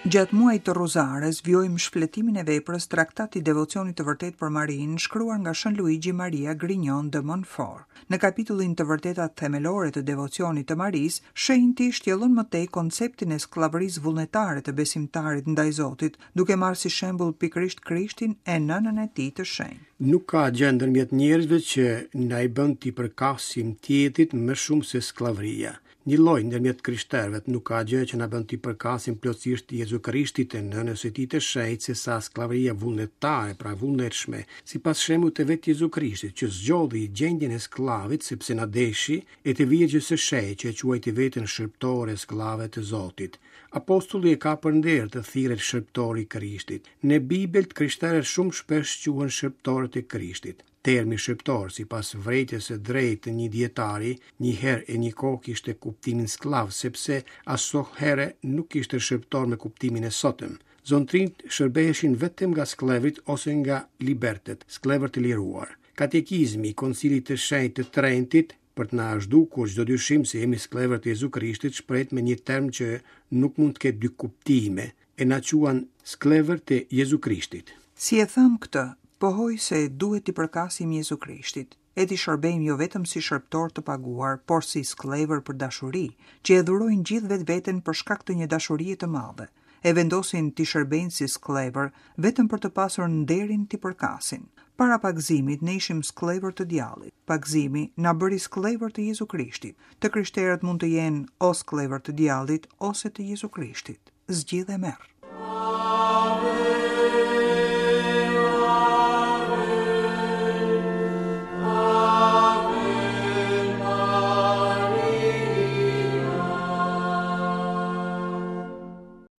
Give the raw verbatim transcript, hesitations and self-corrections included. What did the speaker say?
Gjatë muajit të Rozares vijojmë shfletimin e veprës Traktat i devocionit të vërtetë për Marinë, shkruar nga Shën Luigi Maria Grignon de Montfort. Në kapitullin Të vërtetat themelore të devocionit të Marisë, shenjti shtjellon më tej konceptin e skllavërisë vullnetare të besimtarit ndaj Zotit, duke marrë si shembull pikërisht Krishtin e nënën e tij të shenjtë. Nuk ka gjë ndërmjet njerëzve që na i bën t'i përkasim tjetrit më shumë se skllavëria. Një lloj ndërmjet krishterëve nuk ka gjë që na bën t'i përkasim plotësisht Jezu Krishtit e nënës së tij të shenjtë se sa skllavëria vullnetare, pra vullnetshme, sipas shembullit të vetë Jezu Krishtit, që zgjodhi gjendjen e skllavit sepse na deshi, e të Virgjës së Shenjtë që e quajti veten shërbëtore skllave të Zotit. Apostulli e ka për nder të thirret shërbëtor i Krishtit. Në Bibël të krishterët shumë shpesh quhen shërbëtorët e Krishtit. Termi shërbëtor, sipas vërejtjes së drejtë të një dietari, një herë e një kohë kishte kuptimin skllav, sepse asohere nuk kishte shërbëtor me kuptimin e sotëm. Zontrinjt shërbeheshin vetëm nga skllevrit ose nga libertet, skllevër të liruar. Katekizmi i Koncilit të Shenjtë të Trentit, për të na zhdukur çdo dyshim se jemi skllevër të Jezu Krishtit, shprehet me një term që nuk mund të ketë dy kuptime, e na quan skllevër të Jezu Krishtit. Si e tham këtë, pohoj se duhet t'i përkasim Jezu Krishtit, e t'i shërbejmë jo vetëm si shërbëtor të paguar, por si skllevër për dashuri, që e dhurojnë gjithë vetveten për shkak të një dashurie të madhe, e vendosin t'i shërbejnë si skllevër vetëm për të pasur nderin t'i përkasin. Para pagëzimit ne ishim skllevër të djallit. Pagëzimi na bëri skllevër të Jezu Krishtit. Të krishterët mund të jenë o skllevër të djallit ose të Jezu Krishtit. Zgjidh e merr.